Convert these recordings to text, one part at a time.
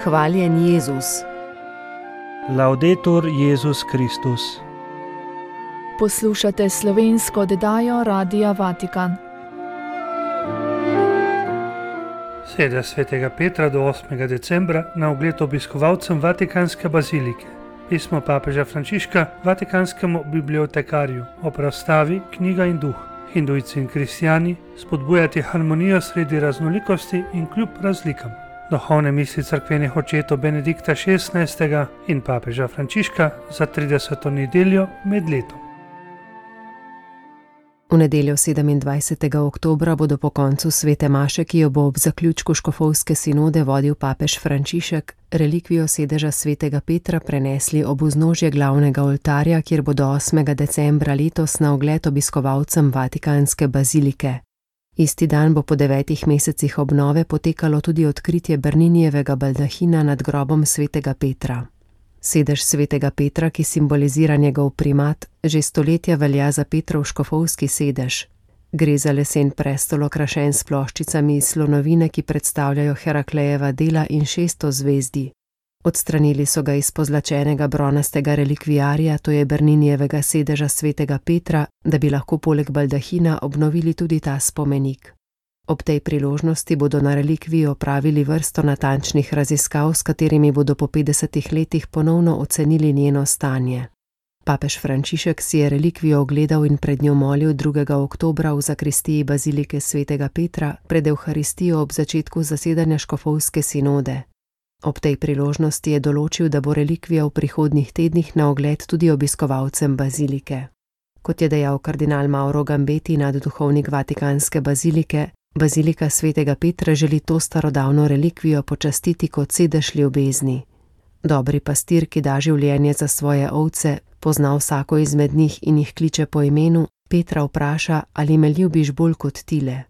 Hvaljen Jezus. Laudetur Jezus Kristus. Poslušate slovensko oddajo Radia Vatikan. Sreda svetega Petra do 8. decembra na ogled obiskovalcem Vatikanske bazilike. Pismo papeža Frančiška vatikanskemu bibliotekarju o razstavi Knjiga in duh. Hindujci in kristjani spodbujati harmonijo sredi raznolikosti in kljub razlikam. Duhovne misli cerkvenih očetov Benedikta XVI. In papeža Frančiška za 30. nedeljo med letom. V nedeljo 27. oktobra bodo po koncu svete maše, ki jo bo ob zaključku škofovske sinode vodil papež Frančišek, relikvijo sedeža svetega Petra prenesli ob vznožje glavnega oltarja, kjer bodo 8. decembra letos na ogled obiskovalcem Vatikanske bazilike. Isti dan bo po 9 mesecih obnove potekalo tudi odkritje Berninijevega baldahina nad grobom svetega Petra. Sedež svetega Petra, ki simbolizira njegov primat, že stoletja velja za Petrov škofovski sedež. Gre za lesen prestol okrašen s ploščicami iz slonovine, ki predstavljajo Heraklejeva dela in 600 zvezdi. Odstranili so ga iz pozlačenega bronastega relikvijarja, to je Berninijevega sedeža svetega Petra, da bi lahko poleg baldahina obnovili tudi ta spomenik. Ob tej priložnosti bodo na relikviji opravili vrsto natančnih raziskav, s katerimi bodo po 50 letih ponovno ocenili njeno stanje. Papež Frančišek si je relikvijo ogledal in pred njo molil 2. oktobra v zakristiji bazilike svetega Petra pred Evharistijo ob začetku zasedanja škofovske sinode. Ob tej priložnosti je določil, da bo relikvija v prihodnjih tednih na ogled tudi obiskovalcem bazilike. Kot je dejal kardinal Mauro Gambeti, nadduhovnik Vatikanske bazilike, bazilika svetega Petra želi to starodavno relikvijo počastiti kot sedež ljubezni. Dobri pastir, ki da življenje za svoje ovce, pozna vsako izmed njih in jih kliče po imenu, Petra vpraša, ali me ljubiš bolj kot tile.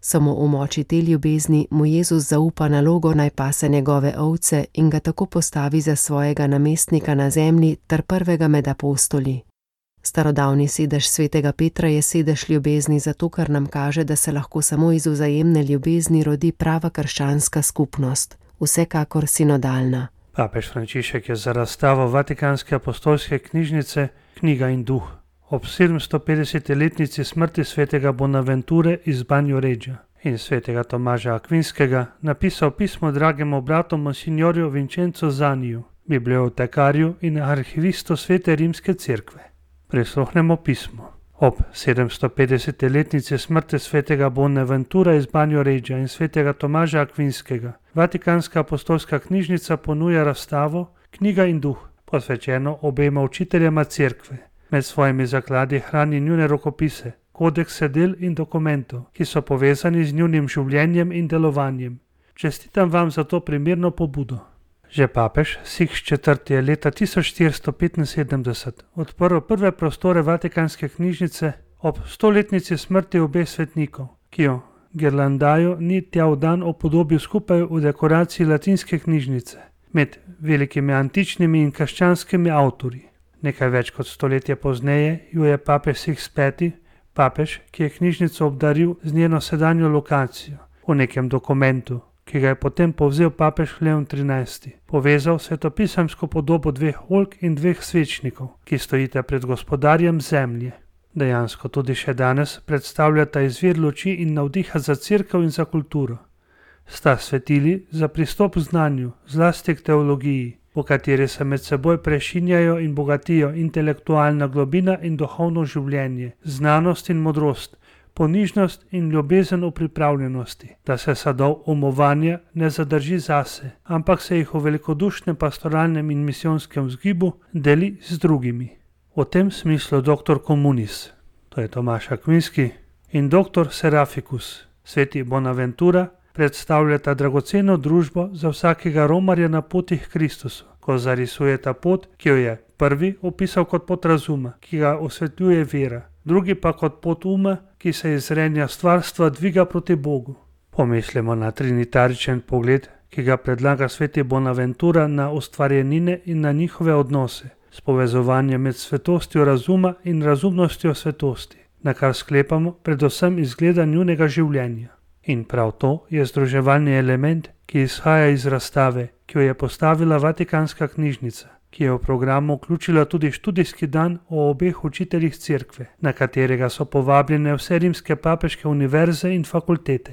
Samo v moči te ljubezni mu Jezus zaupa nalogo, naj pase njegove ovce in ga tako postavi za svojega namestnika na zemlji ter prvega med apostoli. Starodavni sedež svetega Petra je sedež ljubezni zato, ker nam kaže, da se lahko samo iz vzajemne ljubezni rodi prava krščanska skupnost, vsekakor sinodalna. Papež Frančišek je za razstavo Vatikanske apostolske knjižnice Knjiga in duh ob 750-letnici smrti svetega Bonaventure iz Banjoreggia in svetega Tomaža Akvinskega napisal pismo dragemu bratu monsignorju Vincenzo Zaniju, bibliotekarju in arhivistu Svete rimske cerkve. Prisluhnemo pismo. Ob 750-letnici smrti svetega Bonaventura iz Banjoreggia in svetega Tomaža Akvinskega Vatikanska apostolska knjižnica ponuja razstavo Knjiga in duh, posvečeno obema učiteljema cerkve. Med svojimi zakladi hrani njune rokopise, kodekse del in dokumentov, ki so povezani z njunim življenjem in delovanjem. Čestitam vam za to primerno pobudo. Že papež Sixtus IV. Je leta 1475 odprl prve prostore Vatikanske knjižnice ob 100-letnici smrti obeh svetnikov, ki jo girlandajo ni tja v dan upodobil skupaj v dekoraciji latinske knjižnice med velikimi antičnimi in krščanskimi avtorji. Nekaj več kot stoletje pozneje jo je papež Sixtus V., papež, ki je knjižnico obdaril z njeno sedanjo lokacijo, v nekem dokumentu, ki ga je potem povzel papež Leon XIII., povezal svetopisemsko podobo 2 oljk in 2 svečnikov, ki stojita pred gospodarjem zemlje. Dejansko tudi še danes predstavljata izvir luči in navdiha za cerkev in za kulturo. Sta svetili za pristop k znanju, zlasti k teologiji, v kateri se med seboj prešinjajo in bogatijo intelektualna globina in duhovno življenje, znanost in modrost, ponižnost in ljubezen v pripravljenosti, da se sadov umovanja ne zadrži zase, ampak se jih v velikodušnem pastoralnem in misijonskem vzgibu deli z drugimi. V tem smislu dr. Communis, to je Tomaž Akvinski, in dr. Seraficus, sveti Bonaventura, predstavljata dragoceno družbo za vsakega romarja na poti k Kristusu, ko zarisujeta pot, ki jo je prvi opisal kot pot razuma, ki ga osvetljuje vera, drugi pa kot pot uma, ki se iz zrenja stvarstva dviga proti Bogu. Pomislimo na trinitaričen pogled, ki ga predlaga sveti Bonaventura na ustvarjenine in na njihove odnose, s povezovanjem med svetostjo razuma in razumnostjo svetosti, na kar sklepamo predvsem izgleda njunega življenja. In prav to je združevalni element, ki izhaja iz razstave ki jo je postavila Vatikanska knjižnica, ki je v programu vključila tudi študijski dan o obeh učiteljih cerkve, na katerega so povabljene vse rimske papeške univerze in fakultete.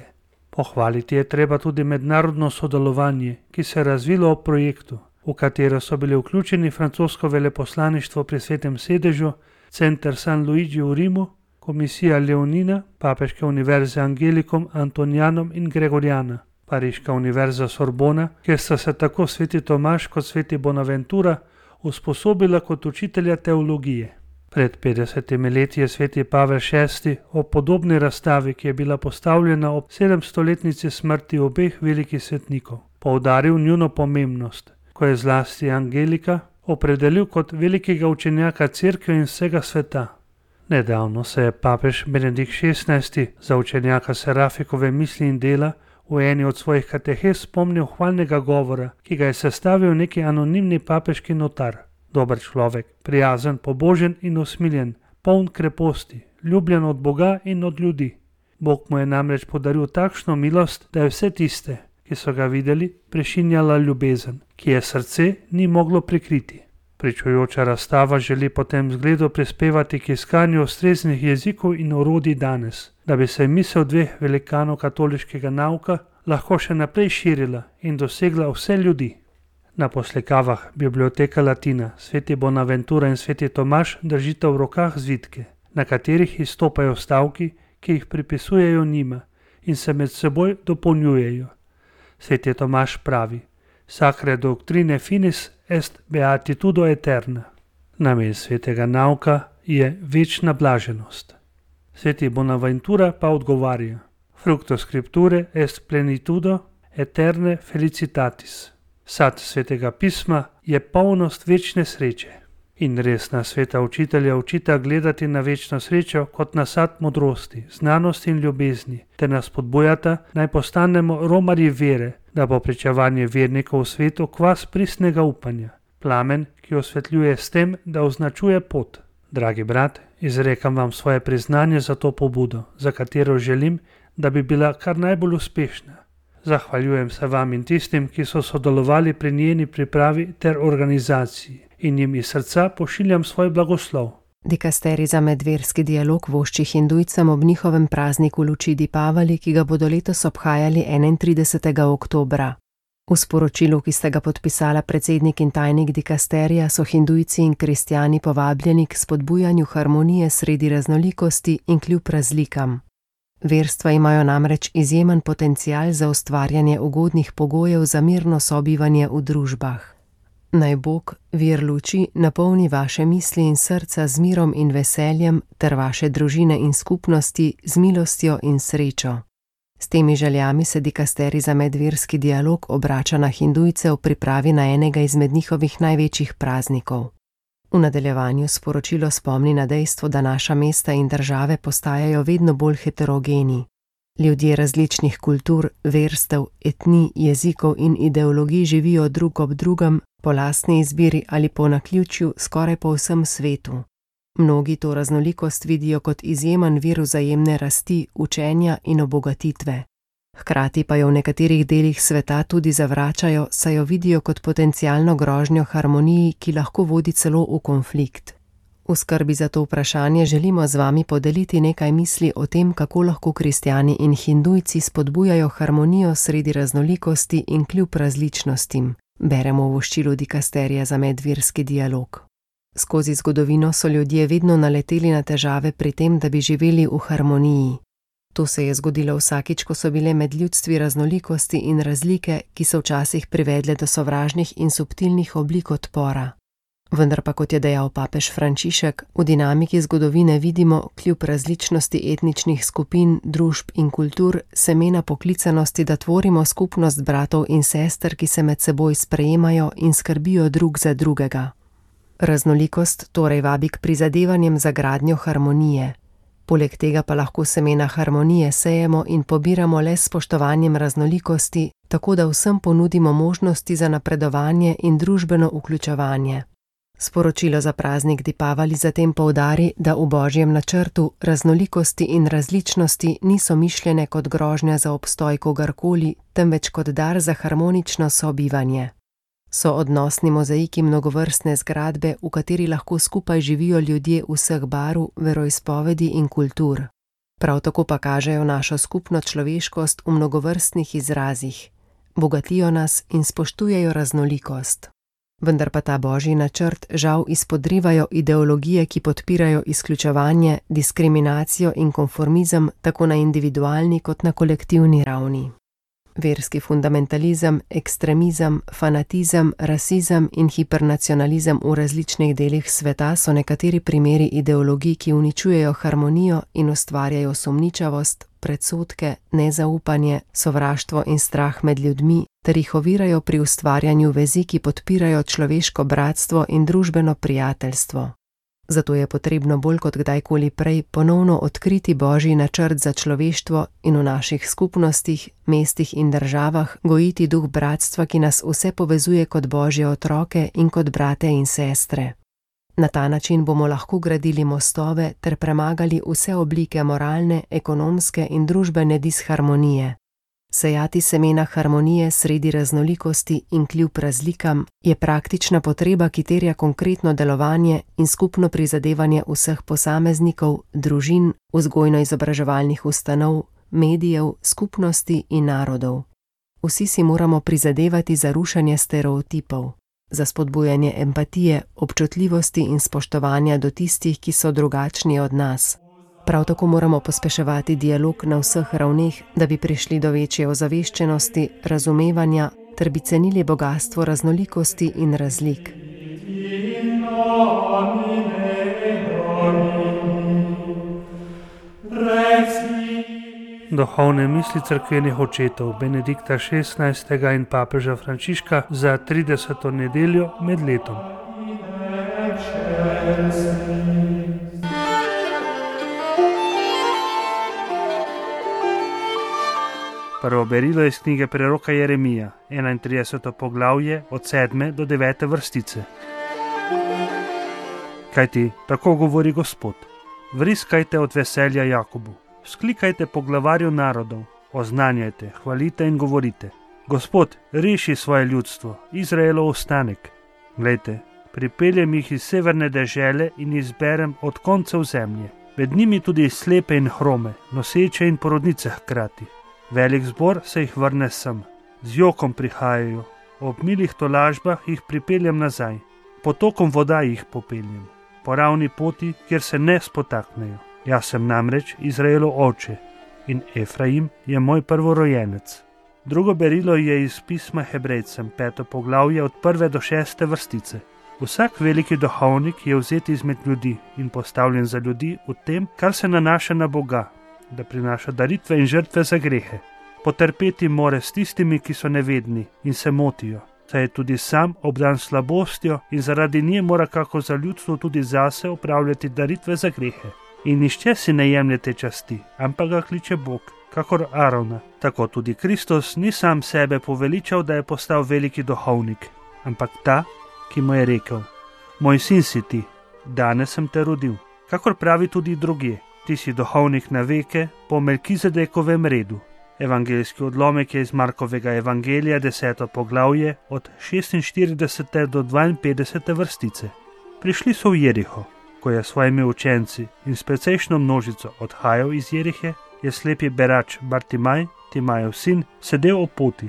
Pohvaliti je treba tudi mednarodno sodelovanje, ki se je razvilo ob projektu, v katero so bili vključeni francosko veleposlaništvo pri Svetem sedežu, Center San Luigi v Rimu, Komisija Leonina, Papeške univerze Angelicum, Antonianum in Gregoriana, Pariška univerza Sorbona, kjer sta se tako sveti Tomaž kot sveti Bonaventura usposobila kot učitelja teologije. Pred 50 leti je sveti Pavel VI ob podobni razstavi, ki je bila postavljena ob 700-letnici smrti obeh velikih svetnikov, poudaril njuno pomembnost, ko je zlasti Angelika opredelil kot velikega učenjaka cerkve in vsega sveta. Nedavno se je papež Benedikt XVI za učenjaka Serafikove misli in dela v eni od svojih katehes spomnil hvalnega govora, ki ga je sestavil neki anonimni papeški notar. Dober človek, prijazen, pobožen in usmiljen, poln kreposti, ljubljen od Boga in od ljudi. Bog mu je namreč podaril takšno milost, da je vse tiste, ki so ga videli, prešinjala ljubezen, ki je srce ni moglo prikriti. Pričujoča razstava želi po tem zgledu prispevati k iskanju ustreznih jezikov in orodij danes, da bi se misel dveh velikanov katoliškega nauka lahko še naprej širila in dosegla vse ljudi. Na poslikavah Biblioteka Latina sveti Bonaventura in sveti Tomaž držita v rokah zvitke, na katerih izstopajo stavki, ki jih pripisujejo njima in se med seboj dopolnjujejo. Sveti Tomaž pravi: Sacre doctrine finis est beatitudo eterna. Namen svetega nauka je večna blaženost. Sveti Bonaventura pa odgovarja: Fructo scripture est plenitudo eterne felicitatis. Sad svetega pisma je polnost večne sreče. In resna sveta učitelja učita gledati na večno srečo kot na sad modrosti, znanosti in ljubezni, ter nas spodbujata, naj postanemo romarji vere, da bo pričevanje vernikov v svetu kvas pristnega upanja, plamen, ki osvetljuje s tem, da označuje pot. Dragi brat, izrekam vam svoje priznanje za to pobudo, za katero želim, da bi bila kar najbolj uspešna. Zahvaljujem se vam in tistim, ki so sodelovali pri njeni pripravi ter organizaciji, in jim iz srca pošiljam svoj blagoslov. Dikasterij za medverski dialog vošči Hindujcem ob njihovem prazniku luči Dipavali, ki ga bodo letos obhajali 31. oktobra. V sporočilu, ki sta ga podpisala predsednik in tajnik dikasterija, so Hindujci in kristjani povabljeni k spodbujanju harmonije sredi raznolikosti in kljub razlikam. Verstva imajo namreč izjemen potencial za ustvarjanje ugodnih pogojev za mirno sobivanje v družbah. Naj Bog, vir luči, napolni vaše misli in srca z mirom in veseljem ter vaše družine in skupnosti z milostjo in srečo. S temi željami se dikasterij za medverski dialog obrača na Hindujce v pripravi na enega izmed njihovih največjih praznikov. V nadaljevanju sporočilo spomni na dejstvo, da naša mesta in države postajajo vedno bolj heterogeni. Ljudje različnih kultur, verstev, etnij, jezikov in ideologij živijo drug ob drugem, po lastni izbiri ali po naključju skoraj po vsem svetu. Mnogi to raznolikost vidijo kot izjemen vir vzajemne rasti, učenja in obogatitve. Hkrati pa jo v nekaterih delih sveta tudi zavračajo, saj jo vidijo kot potencialno grožnjo harmoniji, ki lahko vodi celo v konflikt. V skrbi za to vprašanje želimo z vami podeliti nekaj misli o tem, kako lahko kristjani in Hindujci spodbujajo harmonijo sredi raznolikosti in kljub različnostim, beremo v voščilu dikasterija za medverski dialog. Skozi zgodovino so ljudje vedno naleteli na težave pri tem, da bi živeli v harmoniji. To se je zgodilo vsakič, ko so bile med ljudstvi raznolikosti in razlike, ki so včasih privedle do sovražnih in subtilnih oblik odpora. Vendar pa, kot je dejal papež Frančišek, v dinamiki zgodovine vidimo, kljub različnosti etničnih skupin, družb in kultur, semena poklicanosti, da tvorimo skupnost bratov in sester, ki se med seboj sprejemajo in skrbijo drug za drugega. Raznolikost torej vabi k prizadevanjem za gradnjo harmonije. Poleg tega pa lahko semena harmonije sejemo in pobiramo le s spoštovanjem raznolikosti, tako da vsem ponudimo možnosti za napredovanje in družbeno vključevanje. Sporočilo za praznik Dipavali zatem poudari, da v Božjem načrtu raznolikosti in različnosti niso mišljene kot grožnja za obstoj kogarkoli, temveč kot dar za harmonično sobivanje. So odnosni mozaiki mnogovrstne zgradbe, v kateri lahko skupaj živijo ljudje vseh barv, veroizpovedi in kultur. Prav tako pa kažejo našo skupno človeškost v mnogovrstnih izrazih. Bogatijo nas in spoštujejo raznolikost. Vendar pa ta božji načrt žal izpodrivajo ideologije, ki podpirajo izključevanje, diskriminacijo in konformizem tako na individualni kot na kolektivni ravni. Verski fundamentalizem, ekstremizem, fanatizem, rasizem in hipernacionalizem v različnih delih sveta so nekateri primeri ideologij, ki uničujejo harmonijo in ustvarjajo sumničavost, predsodke, nezaupanje, sovraštvo in strah med ljudmi, ter jih ovirajo pri ustvarjanju vezi, ki podpirajo človeško bratstvo in družbeno prijateljstvo. Zato je potrebno bolj kot kdajkoli prej ponovno odkriti božji načrt za človeštvo in v naših skupnostih, mestih in državah gojiti duh bratstva, ki nas vse povezuje kot božje otroke in kot brate in sestre. Na ta način bomo lahko gradili mostove ter premagali vse oblike moralne, ekonomske in družbene disharmonije. Sejati semena harmonije sredi raznolikosti in kljub razlikam je praktična potreba, ki terja konkretno delovanje in skupno prizadevanje vseh posameznikov, družin, vzgojno-izobraževalnih ustanov, medijev, skupnosti in narodov. Vsi si moramo prizadevati za rušenje stereotipov, za spodbujanje empatije, občutljivosti in spoštovanja do tistih, ki so drugačni od nas. Prav tako moramo pospeševati dialog na vseh ravneh, da bi prišli do večje ozaveščenosti, razumevanja ter bi cenili bogastvo raznolikosti in razlik. Duhovne misli cerkvenih očetov Benedikta XVI. In papeža Frančiška za 30. nedeljo med letom. Prvo berilo iz knjige preroka Jeremija, 31. poglavje od 7. do 9. vrstice. Kajti tako govori Gospod: vriskajte od veselja Jakobu, sklikajte po glavarju narodov, oznanjajte, hvalite in govorite: Gospod, reši svoje ljudstvo, Izraelov ostanek. Glejte, pripeljem jih iz severne dežele in izberem od koncev zemlje, med njimi tudi slepe in hrome, noseče in porodnice hkrati. Velik zbor se jih vrne sem, z jokom prihajajo, ob milih tolažbah jih pripeljem nazaj, potokom voda jih popeljem, po ravni poti, kjer se ne spotaknejo. Jaz sem namreč Izraelov oče in Efraim je moj prvorojenec. Drugo berilo je iz pisma Hebrejcem, 5. poglavje od 1. do 6. vrstice. Vsak veliki duhovnik je vzet izmed ljudi in postavljen za ljudi v tem, kar se nanaša na Boga, da prinaša daritve in žrtve za grehe. Potrpeti more s tistimi, ki so nevedni in se motijo, saj je tudi sam obdan slabostjo in zaradi nje mora kako za ljudstvo tudi zase opravljati daritve za grehe. In nišče si ne jemljete časti, ampak ga kliče Bog, kakor Arona. Tako tudi Kristus ni sam sebe poveličal, da je postal veliki duhovnik, ampak ta, ki mu je rekel: moj sin si ti, danes sem te rodil. Kakor pravi tudi drugje: ti si duhovnik na veke po Melkizedekovem redu. Evangeljski odlomek je iz Markovega evangelija, 10. poglavje, od 46. do 52. vrstice. Prišli so v Jeriho. Ko je s svojimi učenci in s precejšno množico odhajal iz Jerihe, je slepi berač Bartimaj, Timajev sin, sedel ob poti.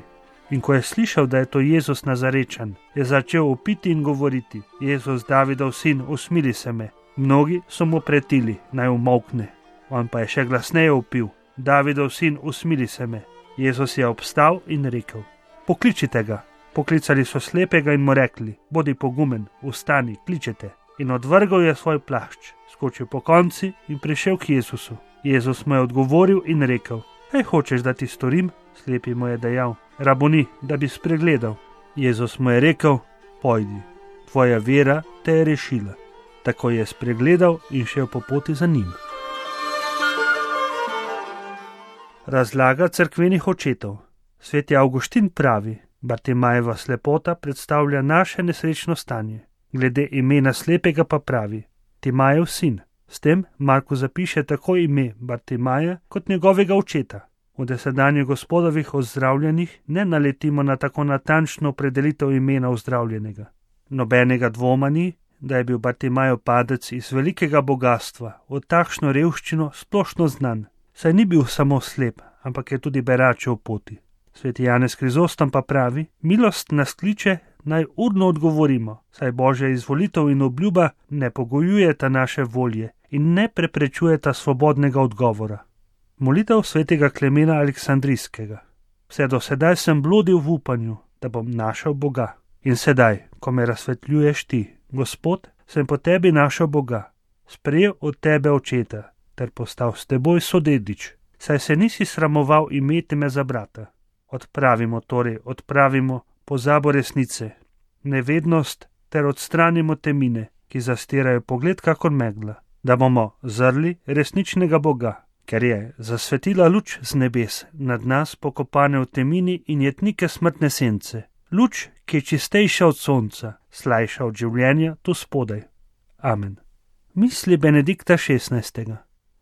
In ko je slišal, da je to Jezus Nazarečan, je začel vpiti in govoriti: Jezus, Davidov sin, usmili se me. Mnogi so mu pretili, naj umolkne. On pa je še glasneje vpil: Davidov sin, usmili se me. Jezus je obstal in rekel: pokličite ga. Poklicali so slepega in mu rekli: bodi pogumen, vstani, kličete. In odvrgal je svoj plašč, skočil po konci in prišel k Jezusu. Jezus mu je odgovoril in rekel: kaj hočeš, da ti storim? Slepi mu je dejal: raboni, da bi spregledal. Jezus mu je rekel: pojdi, tvoja vera te je rešila. Tako je spregledal in šel po poti za njim. Razlaga cerkvenih očetov. Sveti Avguštin pravi: Bartimajeva slepota predstavlja naše nesrečno stanje. Glede imena slepega pa pravi: Timajev sin. S tem Marko zapiše tako ime Bartimaja kot njegovega očeta. V dosedanjih Gospodovih ozdravljenih ne naletimo na tako natančno opredelitev imena ozdravljenega. Nobenega dvoma ni, da je bil Bartimajev padec iz velikega bogatstva v takšno revščino splošno znan, saj ni bil samo slep, ampak je tudi beračev poti. Sveti Janez Krizostom pa pravi: milost nas kliče, naj urno odgovorimo, saj Božja izvolitev in obljuba ne pogojujeta naše volje in ne preprečujeta svobodnega odgovora. Molitev svetega Klemena Aleksandrijskega. Vse do sedaj sem blodil v upanju, da bom našel Boga. In sedaj, ko me razsvetljuješ ti, Gospod, sem po tebi našel Boga, sprejel od tebe očeta, ter postal s teboj sodedič, saj se nisi sramoval imeti me za brata. Odpravimo pozabo resnice, nevednost ter odstranimo temine, ki zastirajo pogled kakor megla, da bomo zrli resničnega Boga, ker je zasvetila luč z nebes nad nas pokopane v temini in jetnike smrtne sence, luč, ki je čistejša od sonca, slajša od življenja tu spodaj. Amen. Misli Benedikta XVI.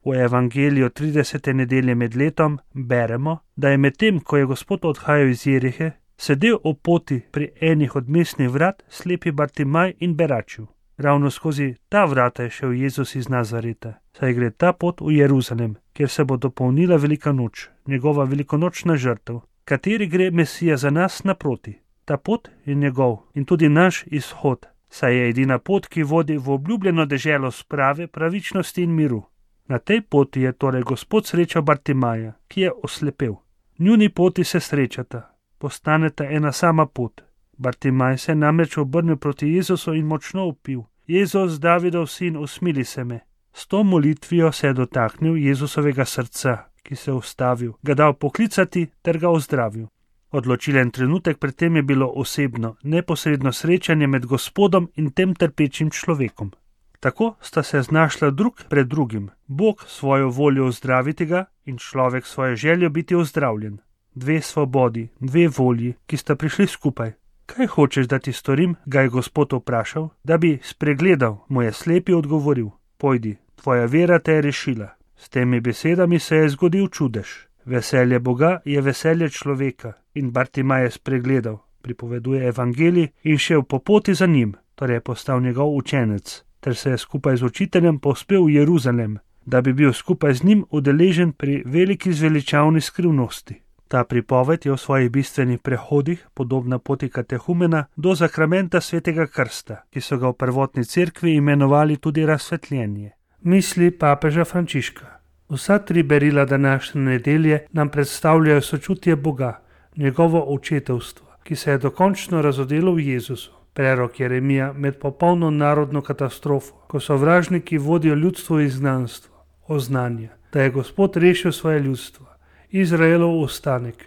V Evangeliju 30. nedelje med letom beremo, da je medtem, ko je Gospod odhajal iz Jerihe, sedel ob poti pri enih od mestnih vrat slepi Bartimaj in beračil. Ravno skozi ta vrata je šel Jezus iz Nazareta, saj gre ta pot v Jeruzalem, kjer se bo dopolnila velika noč, njegova velikonočna žrtev, kateri gre Mesija za nas naproti. Ta pot je njegov in tudi naš izhod, saj je edina pot, ki vodi v obljubljeno deželo sprave, pravičnosti in miru. Na tej poti je torej Gospod srečal Bartimaja, ki je oslepel. Njuni poti se srečata, postaneta ena sama pot. Bartimaj se namreč obrnil proti Jezusu in močno vpil: Jezus, Davidov sin, usmili se me. S to molitvijo se je dotaknil Jezusovega srca, ki se je ustavil, ga dal poklicati ter ga ozdravil. Odločilen trenutek pred tem je bilo osebno, neposredno srečanje med Gospodom in tem trpečim človekom. Tako sta se znašla drug pred drugim, Bog svojo voljo ozdraviti ga in človek svojo željo biti ozdravljen. Dve svobodi, dve volji, ki sta prišli skupaj. Kaj hočeš, da ti storim, ga je Gospod vprašal, da bi spregledal, mu je slepi odgovoril: pojdi, tvoja vera te je rešila. S temi besedami se je zgodil čudež. Veselje Boga je veselje človeka in Bartimaj je spregledal, pripoveduje Evangelij, in šel po poti za njim, torej je postal njegov učenec, ter se je skupaj z učiteljem povzpel v Jeruzalem, da bi bil skupaj z njim udeležen pri veliki zveličavni skrivnosti. Ta pripoved je v svojih bistvenih prehodih podobna poti katehumena do zakramenta svetega krsta, ki so ga v prvotni cerkvi imenovali tudi razsvetljenje. Misli papeža Frančiška. Vsa tri berila današnje nedelje nam predstavljajo sočutje Boga, njegovo očetovstvo, ki se je dokončno razodelo v Jezusu. Prerok Jeremija med popolno narodno katastrofo, ko sovražniki vodijo ljudstvo v izgnanstvo, oznanja, da je Gospod rešil svoje ljudstvo, Izraelov ostanek.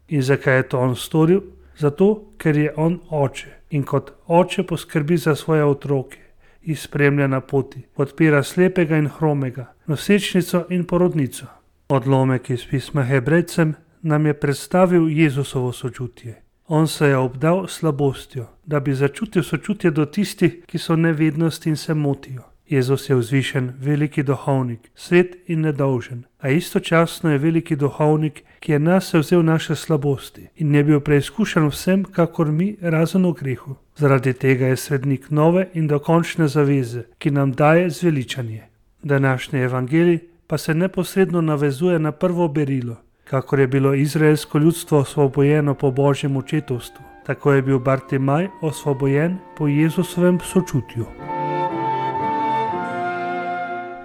In zakaj je to on storil? Zato, ker je on oče in kot oče poskrbi za svoje otroke, jih spremlja na poti, podpira slepega in hromega, nosečnico in porodnico. Odlomek iz pisma Hebrejcem nam je predstavil Jezusovo sočutje. On se je obdal slabostjo, da bi začutil sočutje do tistih, ki so nevednosti in se motijo. Jezus je vzvišen, veliki duhovnik, svet in nedolžen, a istočasno je veliki duhovnik, ki je nase vzel naše slabosti in je bil preizkušen vsem, kakor mi, razen v grehu. Zaradi tega je svetnik nove in dokončne zaveze, ki nam daje zveličanje. Današnji evangelij pa se neposredno navezuje na prvo berilo. Kakor je bilo izraelsko ljudstvo osvobojeno po Božjem očetovstvu, tako je bil Bartimaj osvobojen po Jezusovem sočutju.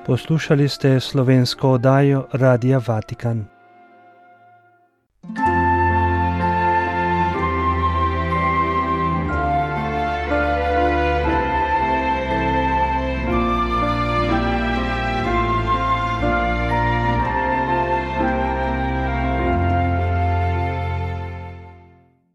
Poslušali ste slovensko oddajo Radia Vatikan.